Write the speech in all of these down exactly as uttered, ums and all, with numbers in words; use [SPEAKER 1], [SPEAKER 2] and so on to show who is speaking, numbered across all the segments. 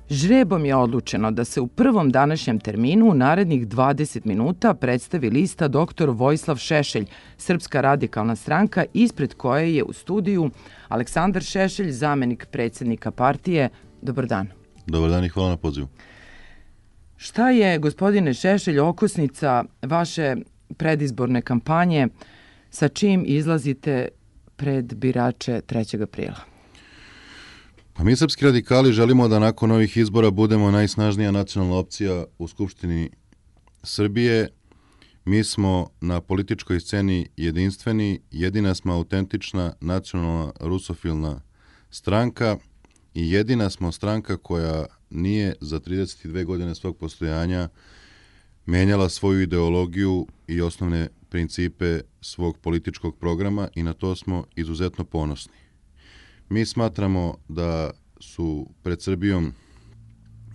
[SPEAKER 1] Žrebom je odlučeno da se u prvom današnjem terminu u narednih dvadeset minuta predstavi lista doktor Vojislav Šešelj, Srpska radikalna stranka, ispred koje je u studiju Aleksandar Šešelj, zamenik predsjednika partije. Dobar dan.
[SPEAKER 2] Dobar dan i hvala na pozivu.
[SPEAKER 1] Šta je, gospodine Šešelj, okosnica vaše predizborne kampanje, sa čim izlazite pred birače trećeg aprila?
[SPEAKER 2] Pa mi srpski radikali želimo da nakon ovih izbora budemo najsnažnija nacionalna opcija u Skupštini Srbije. Mi smo na političkoj sceni jedinstveni, jedina smo autentična nacionalna rusofilna stranka i jedina smo stranka koja nije za trideset dve godine svog postojanja menjala svoju ideologiju i osnovne principe svog političkog programa i na to smo izuzetno ponosni. Mi smatramo da su pred Srbijom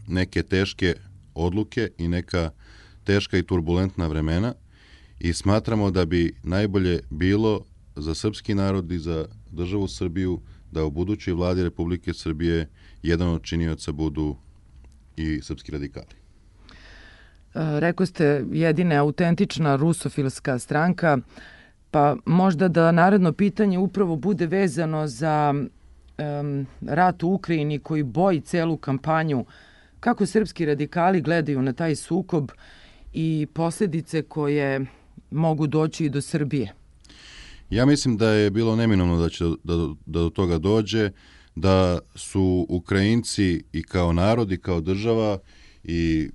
[SPEAKER 2] neke teške odluke i neka teška i turbulentna vremena i smatramo da bi najbolje bilo za srpski narod i za državu Srbiju da u budućoj vladi Republike Srbije jedan od činioca budu i srpski radikali.
[SPEAKER 1] Rekao ste jedina autentična rusofilska stranka, pa možda da naredno pitanje upravo bude vezano za um, rat u Ukrajini koji boji celu kampanju. Kako srpski radikali gledaju na taj sukob i posljedice koje mogu doći i do Srbije?
[SPEAKER 2] Ja mislim da je bilo neminovno da će da, da do toga dođe, da su Ukrajinci i kao narod i kao država i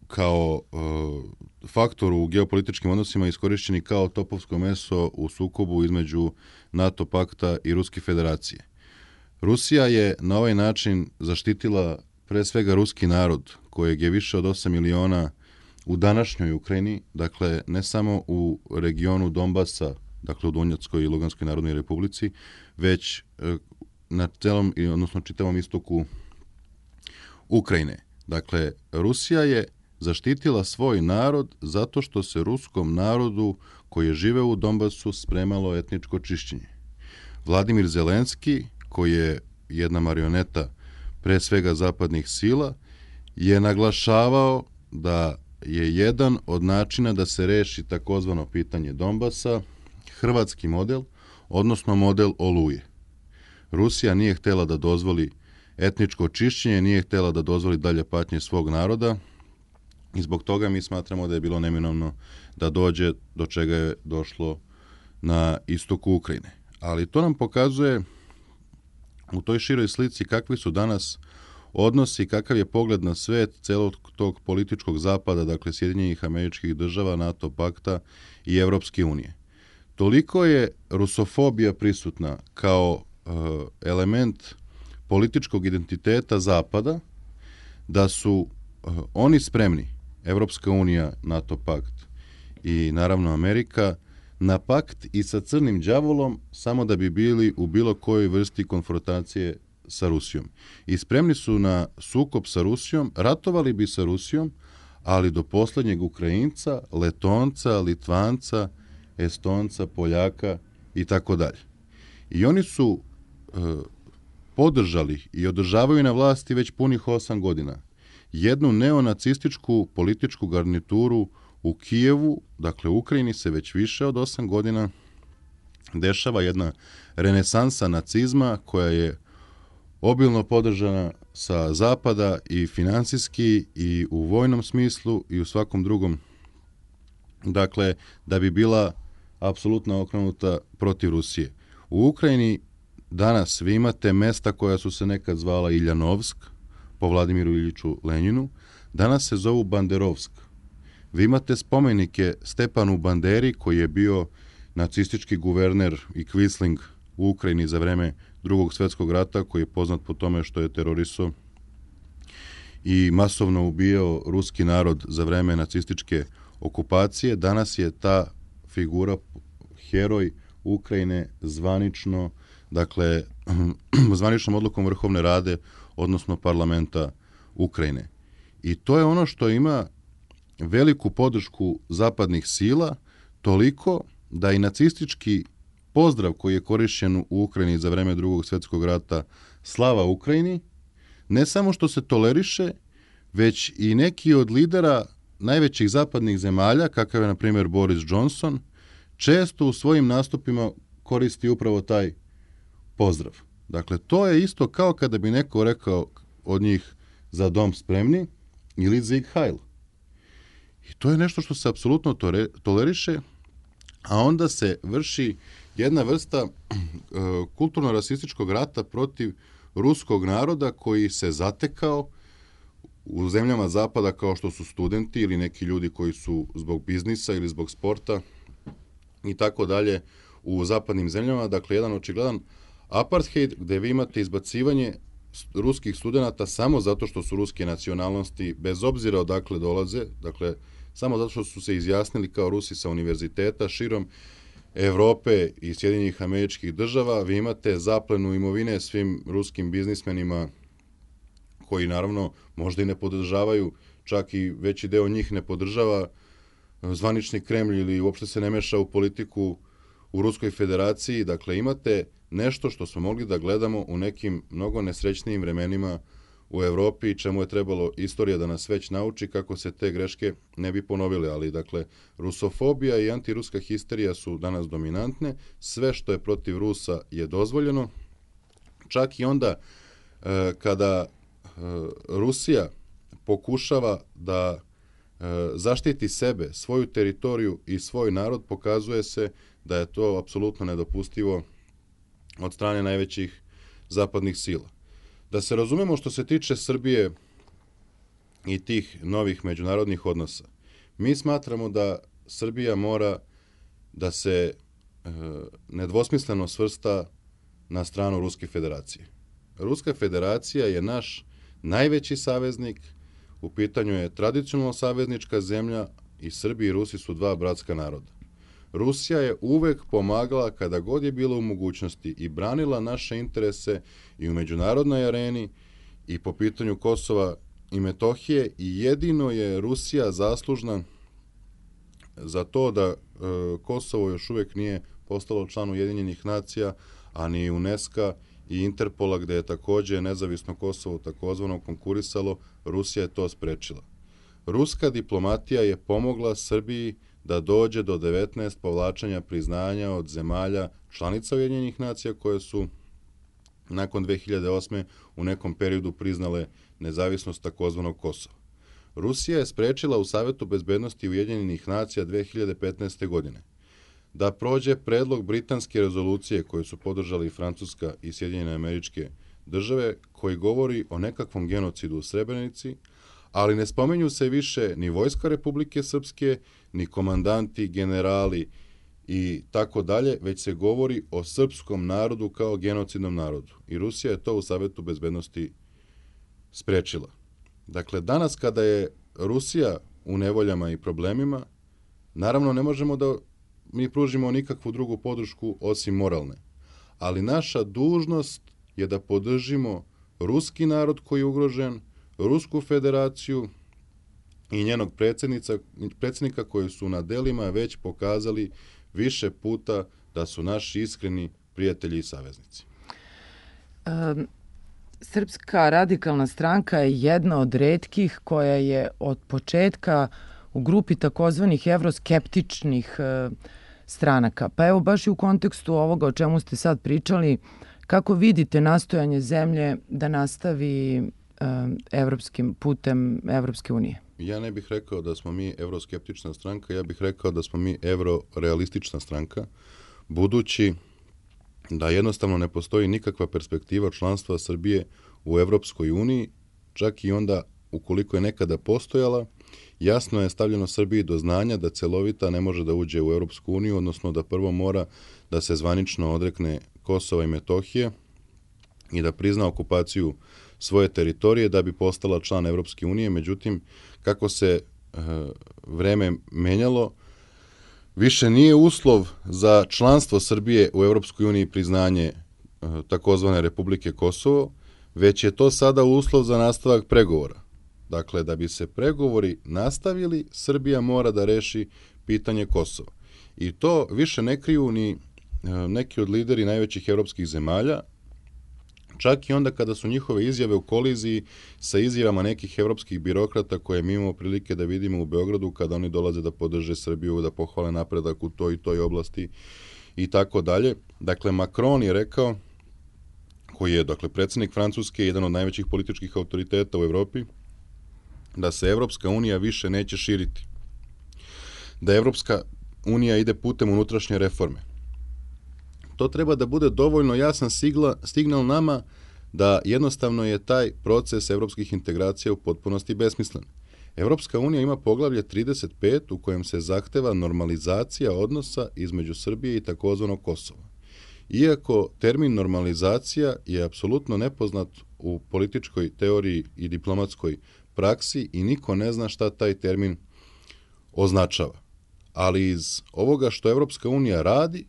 [SPEAKER 2] kao uh, faktor u geopolitičkim odnosima iskorišćeni kao topovsko meso u sukobu između NATO pakta i Ruske federacije. Rusija je na ovaj način zaštitila pre svega ruski narod, kojeg je više od osam miliona u današnjoj Ukrajini, dakle ne samo u regionu Donbasa, dakle u Donjeckoj i Luganskoj narodnoj republici, već uh, na celom, odnosno čitavom istoku Ukrajine. Dakle, Rusija je zaštitila svoj narod zato što se ruskom narodu koji je žive u Donbasu spremalo etničko čišćenje. Vladimir Zelenski, koji je jedna marioneta pre svega zapadnih sila, je naglašavao da je jedan od načina da se reši takozvano pitanje Donbasa hrvatski model, odnosno model Oluje. Rusija nije htjela da dozvoli etničko čišćenje, nije htjela da dozvoli dalje patnje svog naroda i zbog toga mi smatramo da je bilo neminovno da dođe do čega je došlo na istoku Ukrajine. Ali to nam pokazuje u toj široj slici kakvi su danas odnosi, kakav je pogled na svet celog tog političkog zapada, dakle Sjedinjenih Američkih Država, NATO pakta i Evropske unije. Toliko je rusofobija prisutna kao uh, element političkog identiteta zapada da su uh, oni spremni, Evropska unija, NATO pakt i naravno Amerika, na pakt i sa crnim đavolom samo da bi bili u bilo kojoj vrsti konfrontacije sa Rusijom. I spremni su na sukob sa Rusijom, ratovali bi sa Rusijom, ali do posljednjeg Ukrajinca, Letonca, Litvanca, Estonca, Poljaka i tako dalje. I oni su e, podržali i održavaju na vlasti već punih osam godina jednu neonacističku političku garnituru u Kijevu, dakle u Ukrajini se već više od osam godina dešava jedna renesansa nacizma koja je obilno podržana sa zapada i finansijski i u vojnom smislu i u svakom drugom, dakle da bi bila apsolutno okrenuta protiv Rusije. U Ukrajini danas vi imate mesta koja su se nekad zvala Iljanovsk, po Vladimiru Iljiču Lenjinu, danas se zovu Banderovsk. Vi imate spomenike Stepanu Banderi, koji je bio nacistički guverner i kvisling u Ukrajini za vreme Drugog svjetskog rata, koji je poznat po tome što je terorisao i masovno ubijao ruski narod za vreme nacističke okupacije. Danas je ta figura, heroj Ukrajine, zvanično, dakle, zvaničnom odlukom Vrhovne Rade, odnosno parlamenta Ukrajine. I to je ono što ima veliku podršku zapadnih sila, toliko da i nacistički pozdrav koji je korišćen u Ukrajini za vreme Drugog svjetskog rata, slava Ukrajini, ne samo što se toleriše, već i neki od lidera najvećih zapadnih zemalja, kakav je na primjer Boris Johnson, često u svojim nastupima koristi upravo taj pozdrav. Dakle, to je isto kao kada bi neko rekao od njih za dom spremni ili Sieg Heil. I to je nešto što se apsolutno toleriše, a onda se vrši jedna vrsta uh, kulturno-rasističkog rata protiv ruskog naroda koji se zatekao u zemljama zapada kao što su studenti ili neki ljudi koji su zbog biznisa ili zbog sporta i tako dalje u zapadnim zemljama. Dakle, jedan očigledan apartheid gdje vi imate izbacivanje ruskih studenata samo zato što su ruske nacionalnosti, bez obzira odakle dolaze, dakle, samo zato što su se izjasnili kao Rusi sa univerziteta širom Evrope i Sjedinjenih Američkih Država. Vi imate zaplenu imovine svim ruskim biznismenima koji naravno možda i ne podržavaju, čak i veći deo njih ne podržava zvanični Kremlj ili uopšte se ne meša u politiku u Ruskoj federaciji. Dakle, imate nešto što smo mogli da gledamo u nekim mnogo nesrećnijim vremenima u Evropi, čemu je trebalo istorija da nas već nauči kako se te greške ne bi ponovile. Ali, dakle, rusofobija i antiruska histerija su danas dominantne. Sve što je protiv Rusa je dozvoljeno. Čak i onda e, kada e, Rusija pokušava da e, zaštiti sebe, svoju teritoriju i svoj narod, pokazuje se da je to apsolutno nedopustivo od strane najvećih zapadnih sila. Da se razumemo što se tiče Srbije i tih novih međunarodnih odnosa, mi smatramo da Srbija mora da se e, nedvosmisleno svrsta na stranu Ruske federacije. Ruska federacija je naš najveći saveznik, u pitanju je tradicionalno saveznička zemlja i Srbi i Rusi su dva bratska naroda. Rusija je uvek pomagala kada god je bila u mogućnosti i branila naše interese i u međunarodnoj areni i po pitanju Kosova i Metohije i jedino je Rusija zaslužna za to da e, Kosovo još uvek nije postalo član Ujedinjenih nacija, a ni UNESCO i Interpola, gde je takođe nezavisno Kosovo takozvano konkurisalo, Rusija je to sprečila. Ruska diplomatija je pomogla Srbiji da dođe do devetnaest povlačenja priznanja od zemalja članica Ujedinjenih nacija koje su nakon dve hiljade osme u nekom periodu priznale nezavisnost takozvanog Kosova. Rusija je sprečila u Savetu bezbednosti Ujedinjenih nacija dve hiljade petnaeste. godine da prođe predlog britanske rezolucije koju su podržali Francuska i Sjedinjene Američke Države, koji govori o nekakvom genocidu u Srebrenici, ali ne spomenju se više ni Vojska Republike Srpske, ni komandanti, generali i tako dalje, već se govori o srpskom narodu kao genocidnom narodu. I Rusija je to u Savetu bezbednosti sprečila. Dakle, danas kada je Rusija u nevoljama i problemima, naravno ne možemo da mi pružimo nikakvu drugu podršku osim moralne. Ali naša dužnost je da podržimo ruski narod koji je ugrožen, Rusku federaciju i njenog predsjednika koji su na delima već pokazali više puta da su naši iskreni prijatelji i saveznici.
[SPEAKER 1] Um, Srpska radikalna stranka je jedna od retkih koja je od početka u grupi takozvanih evroskeptičnih uh, stranaka. Pa evo baš i u kontekstu ovoga o čemu ste sad pričali, kako vidite nastojanje zemlje da nastavi evropskim putem Evropske unije?
[SPEAKER 2] Ja ne bih rekao da smo mi evroskeptična stranka, ja bih rekao da smo mi evrorealistična stranka, budući da jednostavno ne postoji nikakva perspektiva članstva Srbije u Evropskoj uniji, čak i onda ukoliko je nekada postojala, jasno je stavljeno Srbiji do znanja da celovita ne može da uđe u Evropsku uniju, odnosno da prvo mora da se zvanično odrekne Kosova i Metohije i da prizna okupaciju svoje teritorije da bi postala član Evropske unije. Međutim, kako se e, vreme menjalo, više nije uslov za članstvo Srbije u Evropskoj uniji priznanje e, takozvane Republike Kosovo, već je to sada uslov za nastavak pregovora. Dakle, da bi se pregovori nastavili, Srbija mora da reši pitanje Kosova. I to više ne kriju ni e, neki od lideri najvećih evropskih zemalja, čak i onda kada su njihove izjave u koliziji sa izjavama nekih evropskih birokrata koje mi imamo prilike da vidimo u Beogradu kada oni dolaze da podrže Srbiju, da pohvale napredak u toj i toj oblasti i tako dalje. Dakle, Macron je rekao, koji je, dakle, predsjednik Francuske, jedan od najvećih političkih autoriteta u Evropi, da se Evropska unija više neće širiti. Da Evropska unija ide putem unutrašnje reforme. To treba da bude dovoljno jasan sigla, signal nama da jednostavno je taj proces evropskih integracija u potpunosti besmislen. Evropska unija ima poglavlje trideset pet u kojem se zahteva normalizacija odnosa između Srbije i takozvanog Kosova. Iako termin normalizacija je apsolutno nepoznat u političkoj teoriji i diplomatskoj praksi i niko ne zna šta taj termin označava. Ali iz ovoga što Evropska unija radi,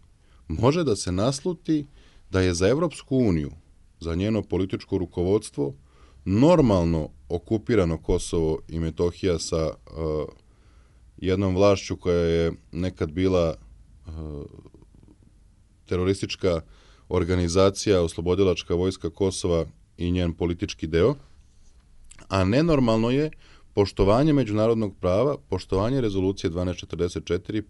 [SPEAKER 2] može da se nasluti da je za Evropsku uniju, za njeno političko rukovodstvo, normalno okupirano Kosovo i Metohija sa uh, jednom vlašću koja je nekad bila uh, teroristička organizacija, oslobodilačka vojska Kosova i njen politički deo, a nenormalno je poštovanje međunarodnog prava, poštovanje rezolucije dvanaest četrdeset četiri,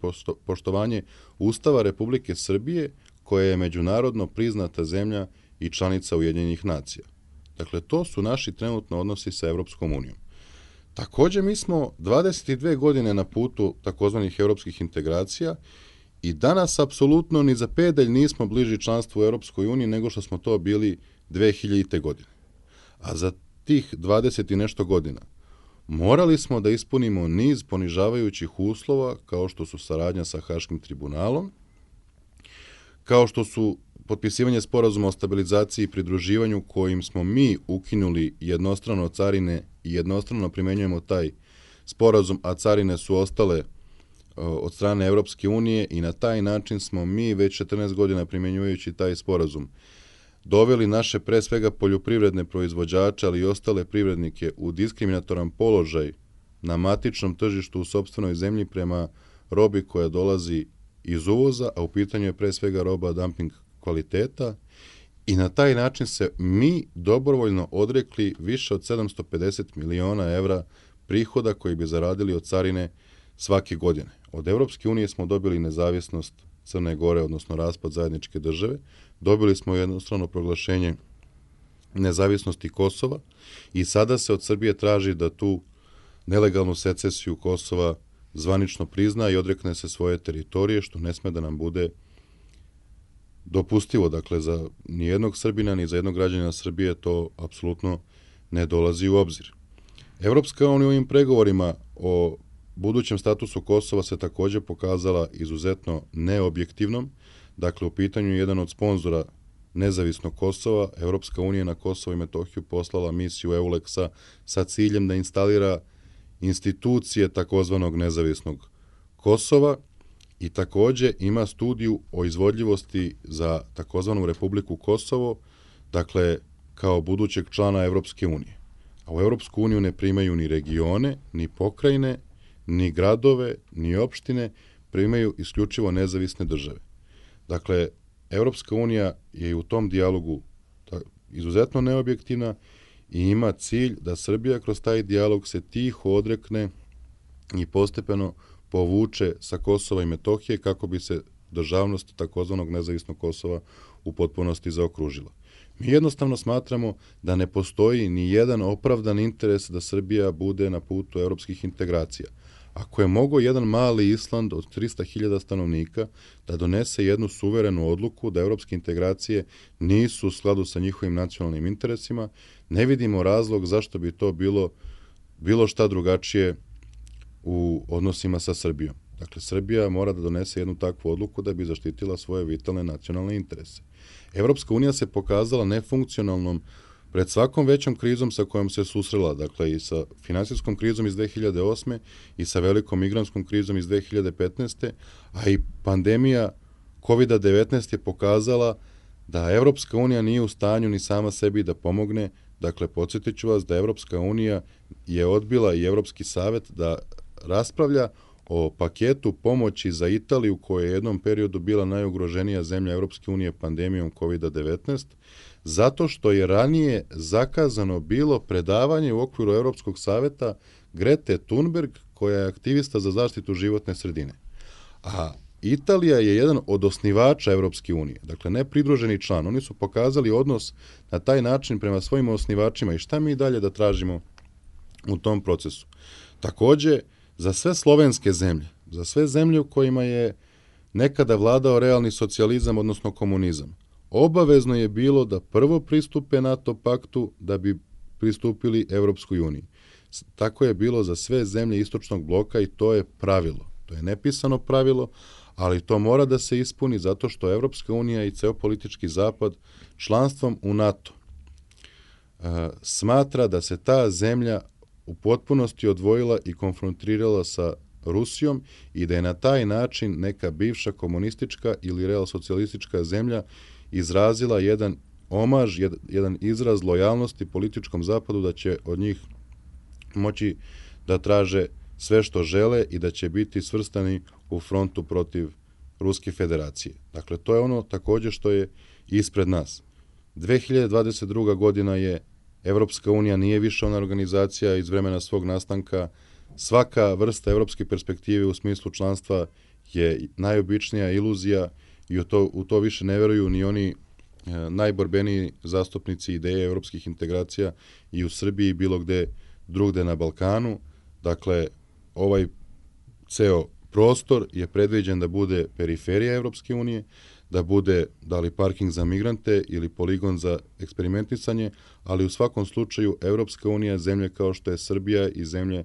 [SPEAKER 2] poštovanje Ustava Republike Srbije, koja je međunarodno priznata zemlja i članica Ujedinjenih nacija. Dakle, to su naši trenutno odnosi sa Evropskom unijom. Također, mi smo dvadeset dve godine na putu takozvanih evropskih integracija i danas apsolutno ni za pedalj nismo bliži članstvu u Evropskoj uniji nego što smo to bili dve hiljadite. godine. A za tih dvadeset i nešto godina morali smo da ispunimo niz ponižavajućih uslova, kao što su saradnja sa Haškim tribunalom, kao što su potpisivanje sporazuma o stabilizaciji i pridruživanju kojim smo mi ukinuli jednostrano carine i jednostrano primenjujemo taj sporazum, a carine su ostale od strane Evropske unije i na taj način smo mi već četrnaest godina primjenjujući taj sporazum doveli naše pre svega poljoprivredne proizvođače, ali i ostale privrednike u diskriminatoran položaj na matičnom tržištu u sopstvenoj zemlji prema robi koja dolazi iz uvoza, a u pitanju je pre svega roba dumping kvaliteta i na taj način se mi dobrovoljno odrekli više od sedamsto pedeset miliona evra prihoda koji bi zaradili od carine svake godine. Od Evropske unije smo dobili nezavisnost Crne Gore, odnosno raspad zajedničke države, dobili smo jednostrano proglašenje nezavisnosti Kosova i sada se od Srbije traži da tu nelegalnu secesiju Kosova zvanično prizna i odrekne se svoje teritorije, što ne sme da nam bude dopustivo. Dakle, za nijednog Srbina, ni za jednog građanina Srbije to apsolutno ne dolazi u obzir. Evropska unija u ovim pregovorima o budućem statusu Kosova se također pokazala izuzetno neobjektivnom. Dakle, u pitanju je jedan od sponzora nezavisnog Kosova. Evropska unija na Kosovo i Metohiju poslala misiju EULEX-a sa ciljem da instalira institucije takozvanog nezavisnog Kosova i također ima studiju o izvodljivosti za takozvanu Republiku Kosovo, dakle, kao budućeg člana Evropske unije. A u Evropsku uniju ne primaju ni regione, ni pokrajine, ni gradove, ni opštine, primaju isključivo nezavisne države. Dakle, Evropska unija je u tom dijalogu izuzetno neobjektivna i ima cilj da Srbija kroz taj dijalog se tiho odrekne i postepeno povuče sa Kosova i Metohije kako bi se državnost takozvanog nezavisnog Kosova u potpunosti zaokružila. Mi jednostavno smatramo da ne postoji ni jedan opravdan interes da Srbija bude na putu evropskih integracija. Ako je mogao jedan mali Island od trista hiljada stanovnika da donese jednu suverenu odluku da evropske integracije nisu u skladu sa njihovim nacionalnim interesima, ne vidimo razlog zašto bi to bilo bilo šta drugačije u odnosima sa Srbijom. Dakle, Srbija mora da donese jednu takvu odluku da bi zaštitila svoje vitalne nacionalne interese. Evropska unija se pokazala nefunkcionalnom pred svakom većom krizom sa kojom se susrela, dakle i sa finansijskom krizom iz dve hiljade osme i sa velikom migrantskom krizom iz dve hiljade petnaeste, a i pandemija kovid devetnaest je pokazala da Evropska unija nije u stanju ni sama sebi da pomogne. Dakle, podsjetit ću vas da Evropska unija je odbila i Evropski savet da raspravlja o paketu pomoći za Italiju, koja je u jednom periodu bila najugroženija zemlja Europske unije pandemijom kovid devetnaest, zato što je ranije zakazano bilo predavanje u okviru Europskog saveta Grete Thunberg, koja je aktivista za zaštitu životne sredine. A Italija je jedan od osnivača Europske unije, dakle ne pridruženi član. Oni su pokazali odnos na taj način prema svojim osnivačima i šta mi dalje da tražimo u tom procesu. Takođe, za sve slovenske zemlje, za sve zemlje u kojima je nekada vladao realni socijalizam, odnosno komunizam, obavezno je bilo da prvo pristupe NATO paktu da bi pristupili Europskoj uniji. Tako je bilo za sve zemlje istočnog bloka i to je pravilo. To je nepisano pravilo, ali to mora da se ispuni zato što Evropska unija i ceo politički zapad članstvom u NATO uh, smatra da se ta zemlja u potpunosti odvojila i konfrontirala sa Rusijom i da je na taj način neka bivša komunistička ili real socijalistička zemlja izrazila jedan omaž, jed, jedan izraz lojalnosti političkom zapadu da će od njih moći da traže sve što žele i da će biti svrstani u frontu protiv Ruske federacije. Dakle, to je ono takođe što je ispred nas. dve hiljade dvadeset druga godina je, Evropska unija nije više ona organizacija iz vremena svog nastanka. Svaka vrsta evropske perspektive u smislu članstva je najobičnija iluzija i u to, u to više ne veruju ni oni e, najborbeniji zastupnici ideje evropskih integracija i u Srbiji i bilo gde drugde na Balkanu. Dakle, ovaj ceo prostor je predviđen da bude periferija Evropske unije, da bude da li parking za migrante ili poligon za eksperimentisanje, ali u svakom slučaju Evropska unija, zemlje kao što je Srbija i zemlje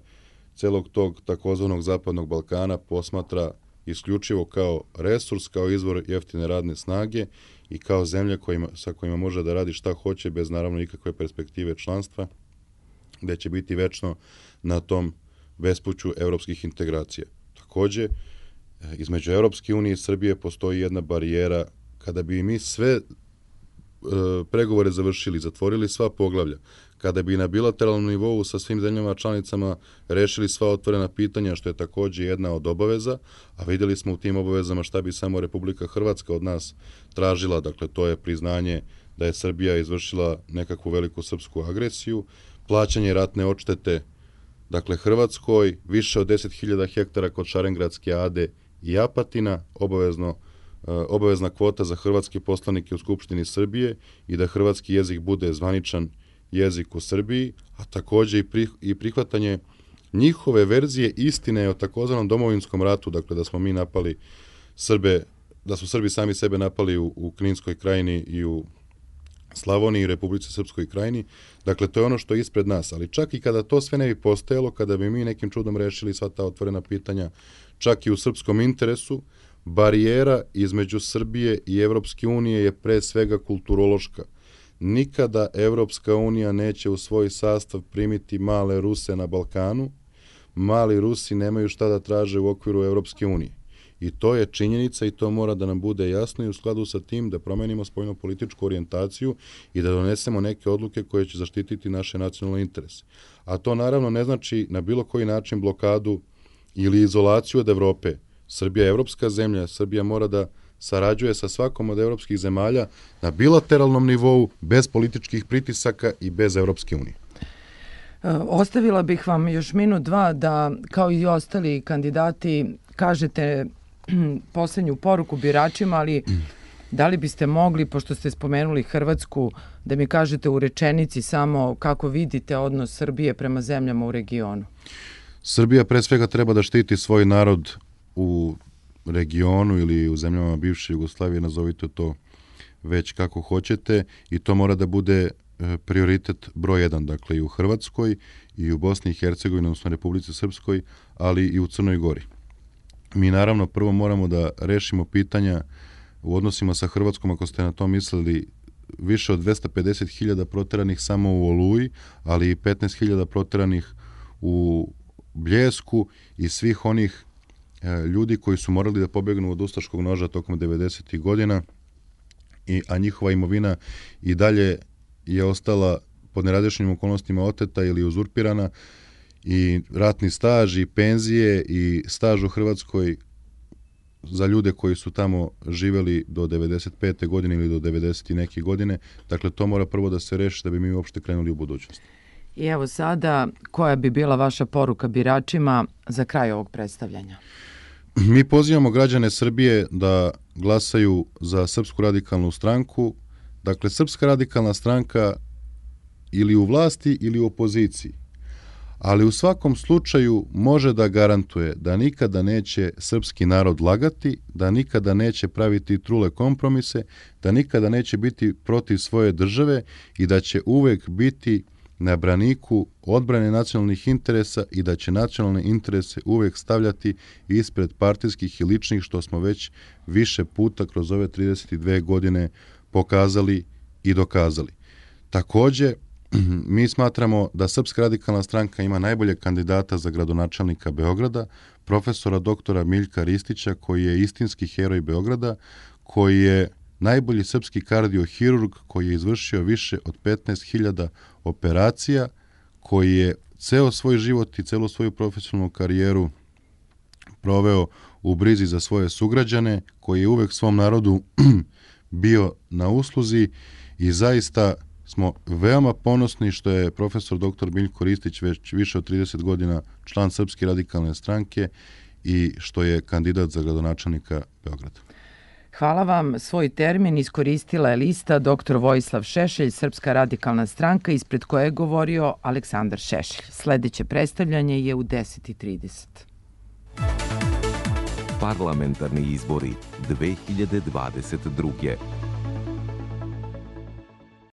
[SPEAKER 2] celog tog takozvanog zapadnog Balkana posmatra isključivo kao resurs, kao izvor jeftine radne snage i kao zemlja kojima, sa kojima može da radi šta hoće bez naravno ikakve perspektive članstva, gde će biti večno na tom bespuću evropskih integracija. Takođe, između Evropske unije i Srbije postoji jedna barijera. Kada bi mi sve e, pregovore završili, zatvorili sva poglavlja, kada bi na bilateralnom nivou sa svim zemljama članicama rešili sva otvorena pitanja, što je takođe jedna od obaveza, a videli smo u tim obavezama šta bi samo Republika Hrvatska od nas tražila, dakle to je priznanje da je Srbija izvršila nekakvu veliku srpsku agresiju, plaćanje ratne odštete, dakle Hrvatskoj, više od deset hiljada hektara kod Šarengradske ade i Apatina, obavezno, obavezna kvota za hrvatske poslanike u Skupštini Srbije i da hrvatski jezik bude zvaničan jezik u Srbiji, a takođe i prihvatanje njihove verzije istine o takozvanom domovinskom ratu, dakle da smo mi napali Srbe, da su Srbi sami sebe napali u, u Kninskoj krajini i u Slavoniji i Republici Srpskoj krajini. Dakle, to je ono što je ispred nas, ali čak i kada to sve ne bi postojalo, kada bi mi nekim čudom rešili sva ta otvorena pitanja, čak i u srpskom interesu, barijera između Srbije i Evropske unije je pre svega kulturološka. Nikada Evropska unija neće u svoj sastav primiti male Ruse na Balkanu. Mali Rusi nemaju šta da traže u okviru Evropske unije. I to je činjenica i to mora da nam bude jasno i u skladu sa tim da promenimo spoljno-političku orijentaciju i da donesemo neke odluke koje će zaštititi naše nacionalne interese. A to naravno ne znači na bilo koji način blokadu ili izolaciju od Evrope. Srbija je evropska zemlja, Srbija mora da sarađuje sa svakom od evropskih zemalja na bilateralnom nivou, bez političkih pritisaka i bez Evropske unije.
[SPEAKER 1] Ostavila bih vam još minut, dva da, kao i ostali kandidati, kažete poslednju poruku biračima, ali da li biste mogli, pošto ste spomenuli Hrvatsku, da mi kažete u rečenici samo kako vidite odnos Srbije prema zemljama u regionu?
[SPEAKER 2] Srbija pre svega treba da štiti svoj narod u regionu ili u zemljama bivše Jugoslavije, nazovite to već kako hoćete, i to mora da bude prioritet broj jedan, dakle i u Hrvatskoj i u Bosni i Hercegovini, odnosno Republici Srpskoj, ali i u Crnoj Gori. Mi naravno prvo moramo da rešimo pitanja u odnosima sa Hrvatskom, ako ste na to mislili, više od dvesta pedeset hiljada proteranih samo u Oluji, ali i petnaest hiljada proteranih u Bljesku i svih onih e, ljudi koji su morali da pobegnu od ustaškog noža tokom devedesetih godina, i, a njihova imovina i dalje je ostala pod nerazrešenim okolnostima oteta ili uzurpirana, i ratni staž i penzije i staž u Hrvatskoj za ljude koji su tamo živeli do devedeset pete godine ili do devedeset i neke godine. Dakle, to mora prvo da se reši da bi mi uopšte krenuli u budućnost.
[SPEAKER 1] I evo sada, koja bi bila vaša poruka biračima za kraj ovog predstavljanja?
[SPEAKER 2] Mi pozivamo građane Srbije da glasaju za Srpsku radikalnu stranku. Dakle, Srpska radikalna stranka ili u vlasti ili u opoziciji. Ali u svakom slučaju može da garantuje da nikada neće srpski narod lagati, da nikada neće praviti trule kompromise, da nikada neće biti protiv svoje države i da će uvek biti na braniku odbrane nacionalnih interesa i da će nacionalne interese uvek stavljati ispred partijskih i ličnih, što smo već više puta kroz ove trideset dve godine pokazali i dokazali. Takođe, mi smatramo da Srpska radikalna stranka ima najbolje kandidata za gradonačelnika Beograda, profesora doktora Miljka Ristića, koji je istinski heroj Beograda, koji je najbolji srpski kardiohirurg, koji je izvršio više od petnaest hiljada operacija, koji je ceo svoj život i celu svoju profesionalnu karijeru proveo u brizi za svoje sugrađane, koji je uvek svom narodu bio na usluzi i zaista smo veoma ponosni što je profesor doktor Miljko Ristić već više od trideset godina član Srpske radikalne stranke i što je kandidat za gradonačelnika Beograda.
[SPEAKER 1] Hvala vam. Svoj termin iskoristila je lista doktor Vojislav Šešelj, Srpska radikalna stranka, ispred koje je govorio Aleksandar Šešelj. Sledeće predstavljanje je u deset i trideset.
[SPEAKER 3] Parlamentarni izbori dve hiljade dvadeset druge.